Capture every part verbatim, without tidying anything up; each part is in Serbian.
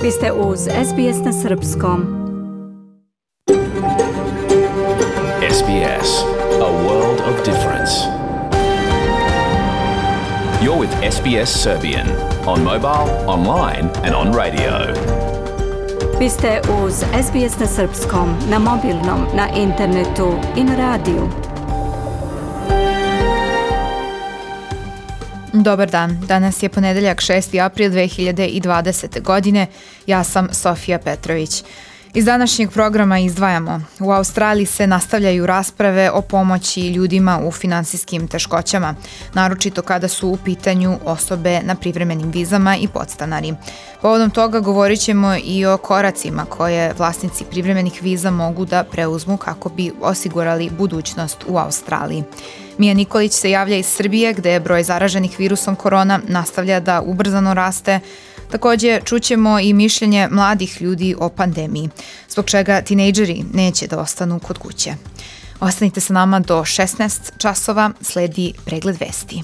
Vi ste uz S B S na srpskom. S B S, a world of difference. You're with S B S Serbian on mobile, online and on radio. Vi ste uz S B S na srpskom, na mobilnom, na internetu i na radiju. Dobar dan, danas je ponedeljak šesti april dve hiljade dvadesete. godine, ja sam Sofija Petrović. Iz današnjeg programa izdvajamo. U Australiji se nastavljaju rasprave o pomoći ljudima u finansijskim teškoćama, naročito kada su u pitanju osobe na privremenim vizama i podstanari. Povodom toga govorit ćemo i o koracima koje vlasnici privremenih viza mogu da preuzmu kako bi osigurali budućnost u Australiji. Mija Nikolić se javlja iz Srbije, gde je broj zaraženih virusom korona nastavlja da ubrzano raste. Također čućemo i mišljenje mladih ljudi o pandemiji, zbog čega tinejdžeri neće da ostanu kod kuće. Ostanite sa nama do šesnaest časova, sledi pregled vesti.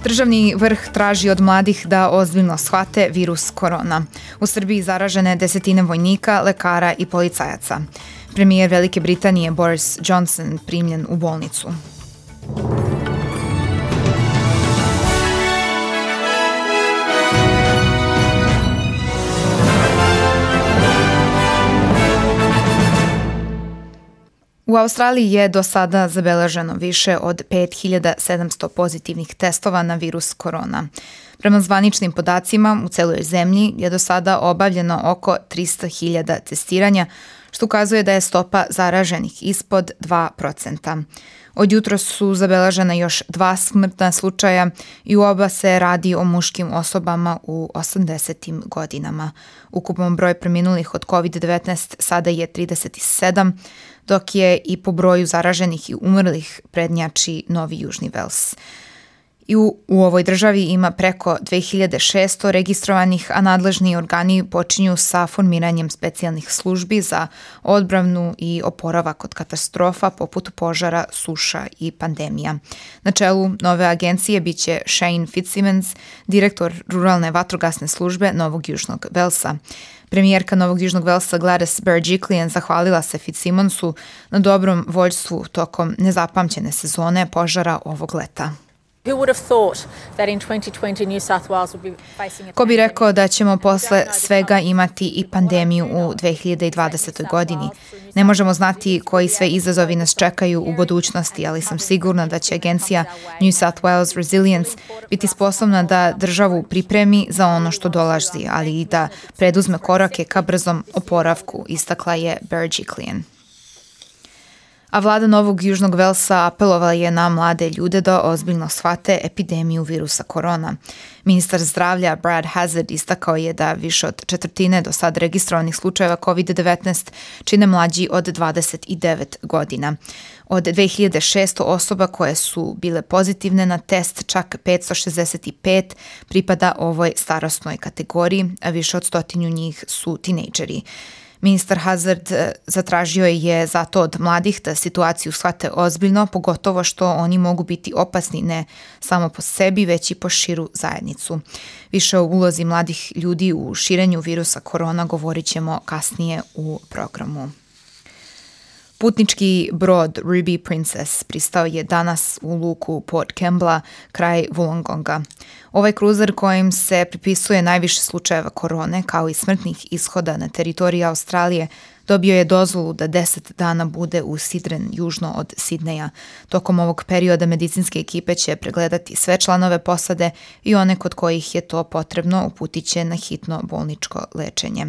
Državni vrh traži od mladih da ozbiljno shvate virus korona. U Srbiji zaražene desetine vojnika, lekara i policajaca. Premijer Velike Britanije Boris Johnson primljen u bolnicu. U Australiji je do sada zabeleženo više od pet hiljada sedamsto pozitivnih testova na virus korona. Prema zvaničnim podacima, u celoj zemlji je do sada obavljeno oko trista hiljada testiranja, što ukazuje da je stopa zaraženih ispod dva procenta. Od jutros su zabeležena još dva smrtna slučaja i u oba se radi o muškim osobama u osamdesetim godinama. Ukupan broj preminulih od kovid devetnaest sada je trideset sedam, dok je i po broju zaraženih i umrlih prednjači Novi Južni Vels. I u, u ovoj državi ima preko dve hiljade šesto registrovanih, a nadležni organi počinju sa formiranjem specijalnih službi za odbranu i oporavak od katastrofa poput požara, suša i pandemija. Na čelu nove agencije biće Shane Fitzsimmons, direktor ruralne vatrogasne službe Novog Južnog Velsa. Premijerka Novog Južnog Velsa Gladys Berejiklian zahvalila se Fitzsimmonsu na dobrom vođstvu tokom nezapamćene sezone požara ovog leta. Ko bi rekao da ćemo posle svega imati i pandemiju u dve hiljade dvadesetoj. godini? Ne možemo znati koji sve izazovi nas čekaju u budućnosti, ali sam sigurna da će agencija New South Wales Resilience biti sposobna da državu pripremi za ono što dolazi, ali i da preduzme korake ka brzom oporavku, istakla je Berejiklian. A vlada Novog Južnog Velsa apelovala je na mlade ljude da ozbiljno shvate epidemiju virusa korona. Ministar zdravlja Brad Hazzard istakao je da više od četvrtine do sad registrovanih slučajeva kovid devetnaest čine mlađi od dvadeset devet godina. Od dve hiljade šesto osoba koje su bile pozitivne na test, čak petsto šezdeset pet pripada ovoj starosnoj kategoriji, a više od stotinu njih su tinejdžeri. Ministar Hazzard zatražio je zato od mladih da situaciju shvate ozbiljno, pogotovo što oni mogu biti opasni ne samo po sebi, već i po širu zajednicu. Više o ulozi mladih ljudi u širenju virusa korona govorit ćemo kasnije u programu. Putnički brod Ruby Princess pristao je danas u luku Port Kembla kraj Wollongonga. Ovaj kruzer kojim se pripisuje najviše slučajeva korone kao i smrtnih ishoda na teritoriji Australije dobio je dozvolu da deset dana bude u Sidren, južno od Sidneja. Tokom ovog perioda medicinske ekipe će pregledati sve članove posade i one kod kojih je to potrebno uputit će na hitno bolničko lečenje.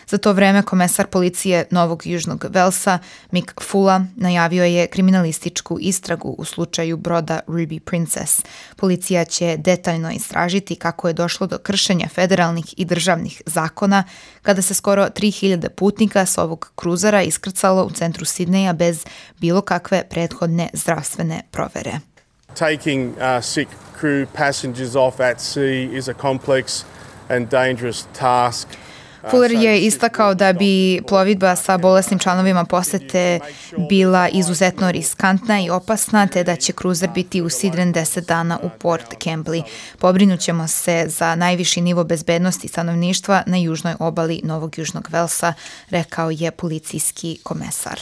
Za to vreme komesar policije Novog Južnog Velsa Mick Fulla najavio je kriminalističku istragu u slučaju broda Ruby Princess. Policija će detaljno istražiti kako je došlo do kršenja federalnih i državnih zakona kada se skoro tri hiljade putnika s ovog kruzera iskrcalo u centru Sidneja bez bilo kakve prethodne zdravstvene provere. Taking uh, sick crew passengers off at sea is a complex and dangerous task. Fuller je istakao da bi plovidba sa bolesnim članovima posete bila izuzetno riskantna i opasna, te da će kruzer biti usidren deset dana u Port Kembly. Pobrinućemo se za najviši nivo bezbednosti stanovništva na južnoj obali Novog Južnog Velsa, rekao je policijski komesar.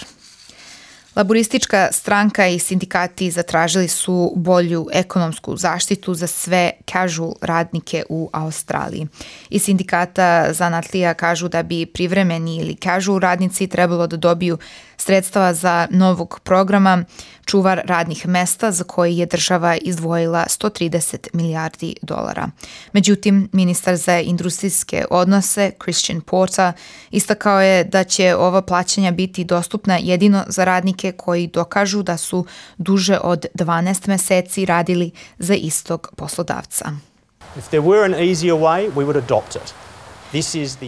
Laboristička stranka i sindikati zatražili su bolju ekonomsku zaštitu za sve casual radnike u Australiji. Iz sindikata zanatlija kažu da bi privremeni ili casual radnici trebalo da dobiju sredstva za novog programa čuvar radnih mesta za koji je država izdvojila sto trideset milijardi dolara. Međutim, ministar za industrijske odnose Christian Porter istakao je da će ova plaćanja biti dostupna jedino za radnike koji dokažu da su duže od dvanaest meseci radili za istog poslodavca. If there were an easier way, we would adopt it.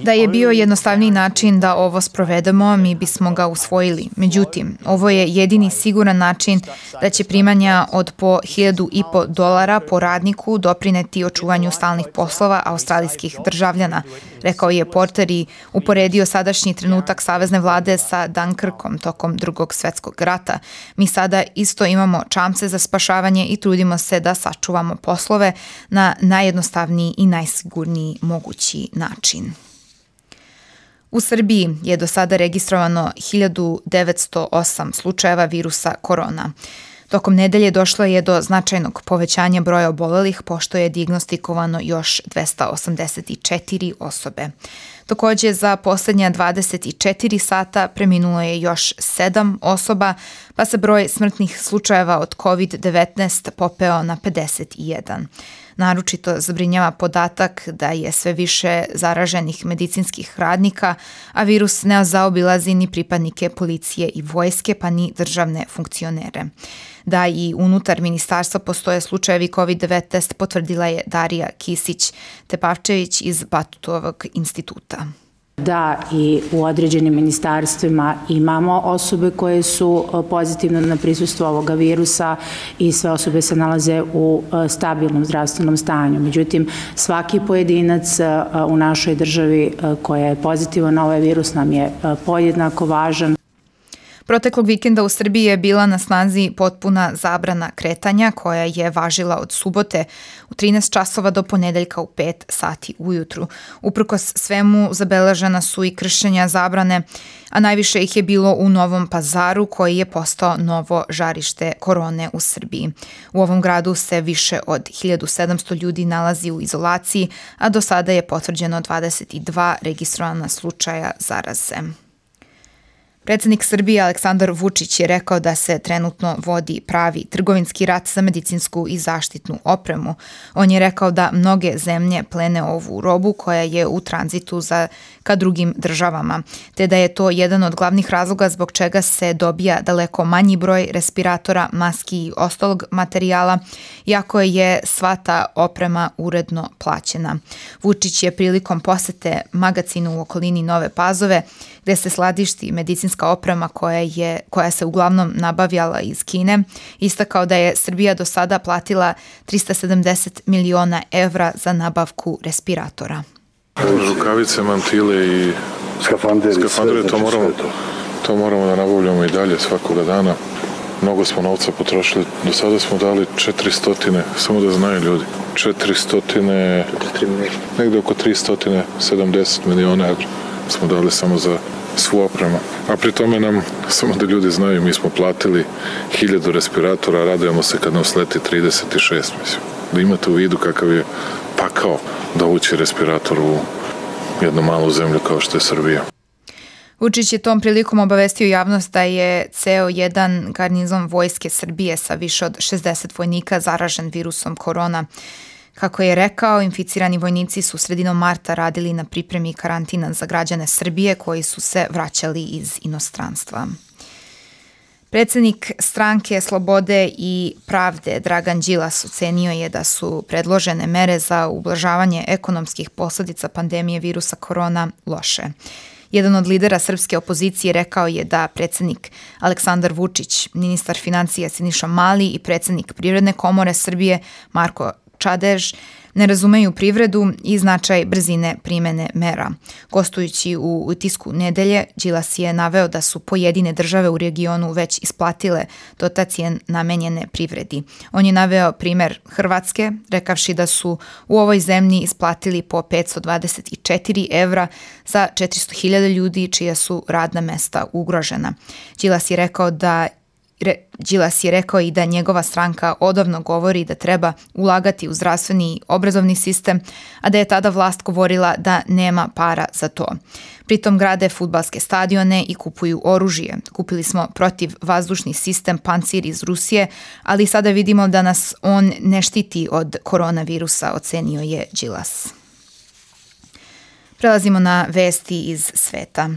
Da je bio jednostavniji način da ovo sprovedemo, mi bismo ga usvojili. Međutim, ovo je jedini siguran način da će primanja od po hiljadu i po dolara po radniku doprineti očuvanju stalnih poslova australijskih državljana, rekao je Porter i uporedio sadašnji trenutak savezne vlade sa Dunkirkom tokom Drugog svetskog rata. Mi sada isto imamo čamce za spašavanje i trudimo se da sačuvamo poslove na najjednostavniji i najsigurniji mogući način. U Srbiji je do sada registrovano hiljadu devetsto osam slučajeva virusa korona. Tokom nedelje došlo je do značajnog povećanja broja obolelih, pošto je dijagnostikovano još dvesta osamdeset četiri osobe. Takođe, za poslednja dvadeset četiri sata preminulo je još sedam osoba, pa se broj smrtnih slučajeva od kovid devetnaest popeo na pedeset jedan. Naročito zabrinjava podatak da je sve više zaraženih medicinskih radnika, a virus ne zaobilazi ni pripadnike policije i vojske, pa ni državne funkcionere. Da i unutar ministarstva postoje slučajevi kovid devetnaest potvrdila je Darija Kisić-Tepavčević iz Batutovog instituta. Da i u određenim ministarstvima imamo osobe koje su pozitivne na prisustvo ovoga virusa i sve osobe se nalaze u stabilnom zdravstvenom stanju. Međutim, svaki pojedinac u našoj državi koja je pozitivan na ovaj virus nam je podjednako važan. Proteklog vikenda u Srbiji je bila na snazi potpuna zabrana kretanja koja je važila od subote u trinaest časova do ponedeljka u pet sati ujutru. Uprkos svemu zabeležena su i kršenja zabrane, a najviše ih je bilo u Novom Pazaru koji je postao novo žarište korone u Srbiji. U ovom gradu se više od hiljadu sedamsto ljudi nalazi u izolaciji, a do sada je potvrđeno dvadeset dva registrovana slučaja zaraze. Predsednik Srbije Aleksandar Vučić je rekao da se trenutno vodi pravi trgovinski rat za medicinsku i zaštitnu opremu. On je rekao da mnoge zemlje plene ovu robu koja je u tranzitu za ka drugim državama, te da je to jedan od glavnih razloga zbog čega se dobija daleko manji broj respiratora, maski i ostalog materijala, iako je sva ta oprema uredno plaćena. Vučić je prilikom posete magacinu u okolini Nove Pazove, gde se skladišti medicinska oprema koja, je, koja se uglavnom nabavljala iz Kine, istakao da je Srbija do sada platila trista sedamdeset miliona evra za nabavku respiratora. Rukavice, mantile i skafandere, skafandere to, moramo, to moramo da nabavljamo i dalje svakoga dana. Mnogo smo novca potrošili. Do sada smo dali četiristo, samo da znaju ljudi, četiristo, negde oko tristo sedamdeset miliona evra smo dali samo za svu opremu. A pri tome nam, samo da ljudi znaju, mi smo platili hiljadu respiratora, radujemo se kad nam sleti trideset šest, mislim. Da imate u vidu kakav je pakao dovući respirator u jednu malu zemlju kao što je Srbija. Vučić je tom prilikom obavestio javnost da je ceo jedan garnizon vojske Srbije sa više od šezdeset vojnika zaražen virusom korona. Kako je rekao, inficirani vojnici su sredinom marta radili na pripremi karantina za građane Srbije koji su se vraćali iz inostranstva. Predsednik stranke Slobode i pravde Dragan Đilas ocenio je da su predložene mere za ublažavanje ekonomskih posledica pandemije virusa korona loše. Jedan od lidera srpske opozicije rekao je da predsednik Aleksandar Vučić, ministar financija Siniša Mali i predsednik Privredne komore Srbije Marko Čadež ne razumeju privredu i značaj brzine primene mera. Gostujući u Tisku nedelje, Đilas je naveo da su pojedine države u regionu već isplatile dotacije namenjene privredi. On je naveo primer Hrvatske, rekavši da su u ovoj zemlji isplatili po petsto dvadeset četiri evra za četiristo hiljada ljudi čija su radna mesta ugrožena. Đilas je rekao da Re, Đilas je rekao i da njegova stranka odavno govori da treba ulagati u zdravstveni i obrazovni sistem, a da je tada vlast govorila da nema para za to. Pritom grade fudbalske stadione i kupuju oružje. Kupili smo protivvazdušni sistem Pancir iz Rusije, ali sada vidimo da nas on ne štiti od koronavirusa, ocenio je Đilas. Prelazimo na vesti iz sveta.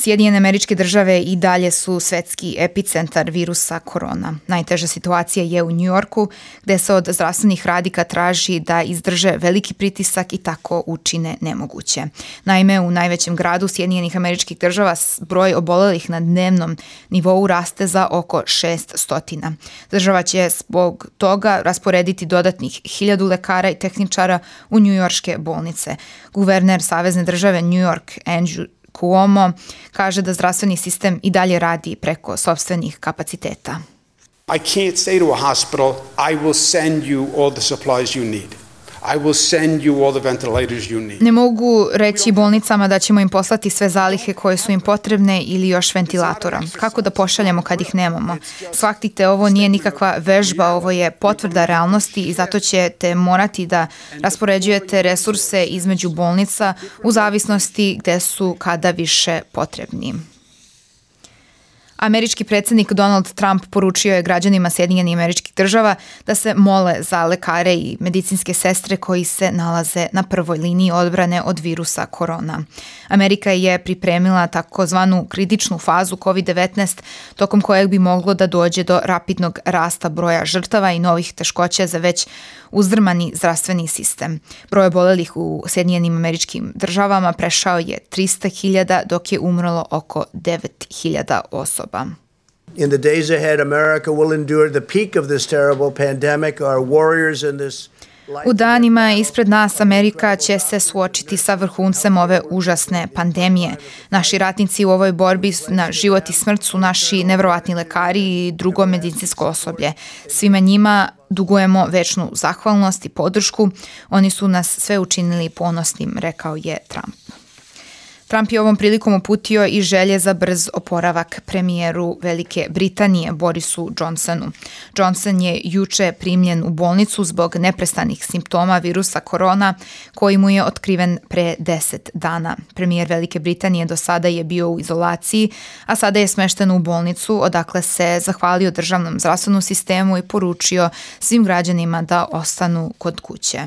Sjedinjene Američke Države i dalje su svetski epicentar virusa korona. Najteža situacija je u Njujorku, gde se od zdravstvenih radnika traži da izdrže veliki pritisak i tako učine nemoguće. Naime, u najvećem gradu Sjedinjenih Američkih Država broj obolelih na dnevnom nivou raste za oko šest stotina. Država će zbog toga rasporediti dodatnih hiljadu lekara i tehničara u njujorške bolnice. Guverner Savezne države New York, Andrew Cuomo, kaže da zdravstveni sistem i dalje radi preko sopstvenih kapaciteta. I can't say to a hospital, I will send you all the supplies you need. I will send you all the ventilators you need. Ne mogu reći bolnicama da ćemo im poslati sve zalihe koje su im potrebne ili još ventilatora. Kako da pošaljemo kad ih nemamo? Shvatite, ovo nije nikakva vežba, ovo je potvrda realnosti i zato ćete morati da raspoređujete resurse između bolnica u zavisnosti gde su kada više potrebni. Američki predsjednik Donald Trump poručio je građanima Sjedinjenih Američkih Država da se mole za lekare i medicinske sestre koji se nalaze na prvoj liniji odbrane od virusa korona. Amerika je pripremila takozvanu kritičnu fazu kovid devetnaest, tokom kojeg bi moglo da dođe do rapidnog rasta broja žrtava i novih teškoća za već uzdrmani zdravstveni sistem. Broj obolelih u Sjedinjenim Američkim Državama prešao je trista hiljada, dok je umrlo oko devet hiljada osoba. In the days ahead, America will endure the peak of this terrible pandemic. Our warriors in this U danima ispred nas Amerika će se suočiti sa vrhuncem ove užasne pandemije. Naši ratnici u ovoj borbi na život i smrt su naši nevjerovatni lekari i drugo medicinsko osoblje. Svima njima dugujemo večnu zahvalnost i podršku. Oni su nas sve učinili ponosnim, rekao je Trump. Trump je ovom prilikom uputio i želje za brz oporavak premijeru Velike Britanije Borisu Johnsonu. Johnson je juče primljen u bolnicu zbog neprestanih simptoma virusa korona koji mu je otkriven pre deset dana. Premijer Velike Britanije do sada je bio u izolaciji, a sada je smešten u bolnicu odakle se zahvalio državnom zdravstvenom sistemu i poručio svim građanima da ostanu kod kuće.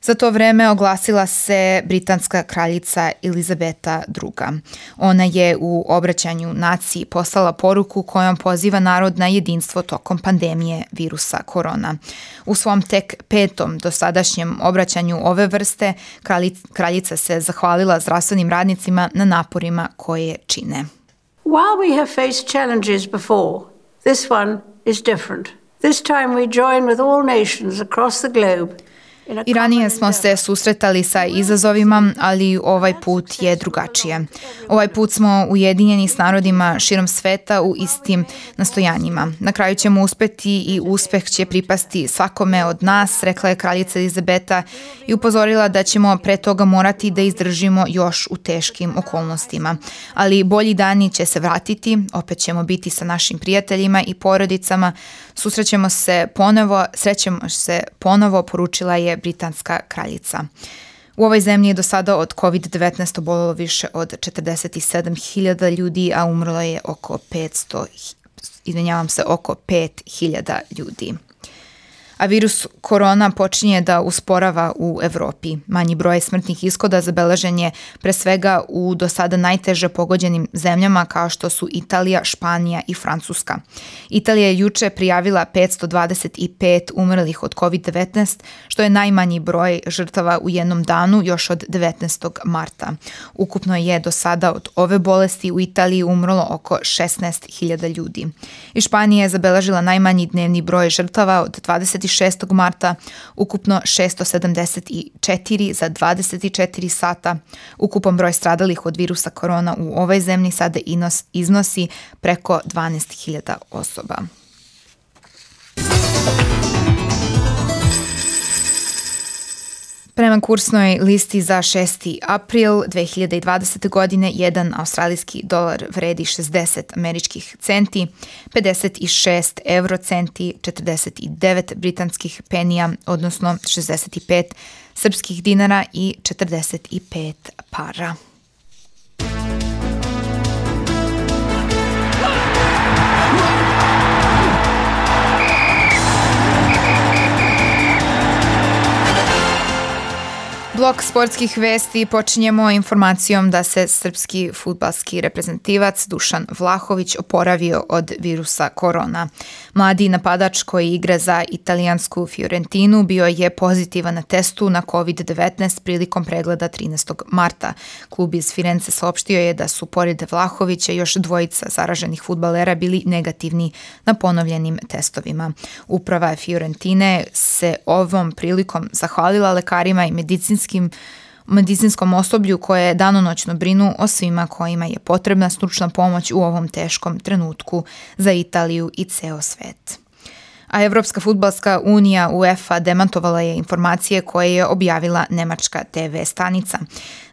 Za to vreme oglasila se britanska kraljica Elizabeta druga. Ona je u obraćanju naciji poslala poruku kojom poziva narod na jedinstvo tokom pandemije virusa korona. U svom tek petom dosadašnjem obraćanju ove vrste kraljica se zahvalila zdravstvenim radnicima na naporima koje čine. While we have faced challenges before, this one is different. This time we join with all nations across the globe. I ranije smo se susretali sa izazovima, ali ovaj put je drugačije. Ovaj put smo ujedinjeni s narodima širom sveta u istim nastojanjima. Na kraju ćemo uspeti i uspeh će pripasti svakome od nas, rekla je kraljica Elizabeta i upozorila da ćemo pre toga morati da izdržimo još u teškim okolnostima. Ali bolji dani će se vratiti, opet ćemo biti sa našim prijateljima i porodicama, susrećemo se ponovo, srećemo se ponovo, poručila je britanska kraljica. U ovoj zemlji je do sada od kovid devetnaest obolelo više od četrdeset sedam hiljada ljudi, a umrlo je oko petsto, izvinjavam se, oko pet hiljada ljudi. A virus korona počinje da usporava u Evropi. Manji broj smrtnih ishoda zabeležen je pre svega u do sada najteže pogođenim zemljama kao što su Italija, Španija i Francuska. Italija je juče prijavila petsto dvadeset pet umrlih od kovid devetnaest, što je najmanji broj žrtava u jednom danu još od devetnaestog marta. Ukupno je do sada od ove bolesti u Italiji umrlo oko šesnaest hiljada ljudi. I Španija je zabeležila najmanji dnevni broj žrtava od dvadeset dvadeset šestog marta, ukupno šesto sedamdeset četiri za dvadeset četiri sata. Ukupan broj stradalih od virusa korona u ovoj zemlji sada iznosi preko dvanaest hiljada osoba. Prema kursnoj listi za šesti april dve hiljade dvadesete. godine jedan australijski dolar vredi šezdeset američkih centi, pedeset šest evrocenti, četrdeset devet britanskih penija, odnosno šezdeset pet srpskih dinara i četrdeset pet para. Blok sportskih vesti počinjemo informacijom da se srpski fudbalski reprezentativac Dušan Vlahović oporavio od virusa korona. Mladi napadač koji igra za italijansku Fiorentinu bio je pozitivan na testu na kovid devetnaest prilikom pregleda trinaestog marta. Klub iz Firence saopštio je da su pored Vlahovića još dvojica zaraženih fudbalera bili negativni na ponovljenim testovima. Uprava Fiorentine se ovom prilikom zahvalila lekarima i medicinskim medicinskom osoblju koje danonoćno brinu o svima kojima je potrebna stručna pomoć u ovom teškom trenutku za Italiju i ceo svet. A Evropska fudbalska unija UEFA demantovala je informacije koje je objavila nemačka te ve stanica.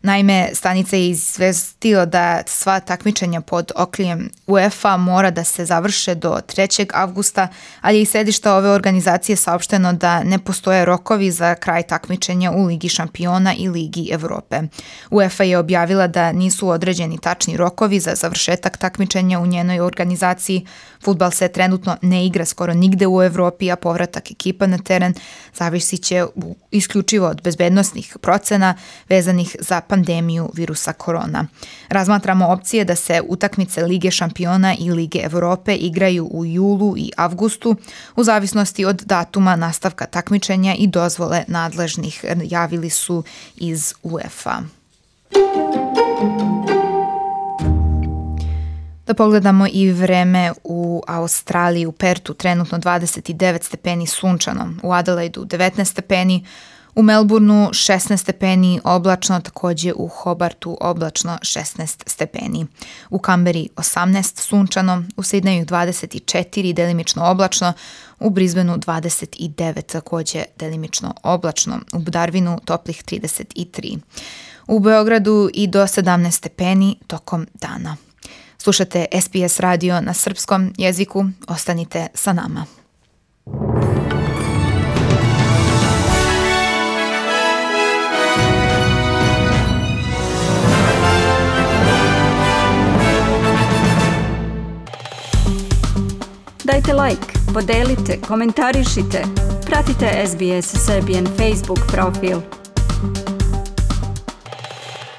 Naime, stanica je izvestila da sva takmičenja pod okriljem UEFA mora da se završe do trećeg avgusta, ali je i sedišta ove organizacije saopšteno da ne postoje rokovi za kraj takmičenja u Ligi šampiona i Ligi Evrope. UEFA je objavila da nisu određeni tačni rokovi za završetak takmičenja u njenoj organizaciji. Fudbal se trenutno ne igra skoro nigde u Evropi, a povratak ekipa na teren zavisit će isključivo od bezbednosnih procena vezanih za pandemiju virusa korona. Razmatramo opcije da se utakmice Lige šampiona i Lige Evrope igraju u julu i avgustu u zavisnosti od datuma nastavka takmičenja i dozvole nadležnih, javili su iz UEFA. Da pogledamo i vreme u Australiji, u Pertu trenutno dvadeset devet stepeni sunčano, u Adelaidu devetnaest stepeni, u Melbourneu šesnaest stepeni oblačno, također u Hobartu oblačno šesnaest stepeni. U Kamberi osamnaest sunčano, u Sidneju dvadeset četiri delimično oblačno, u Brisbaneu dvadeset devet također delimično oblačno, u Darwinu toplih trideset tri. U Beogradu i do sedamnaest stepeni tokom dana. Slušate es be es radio na srpskom jeziku, ostanite sa nama. Dajte like, podelite, komentarišite, pratite es be es Serbian Facebook profil.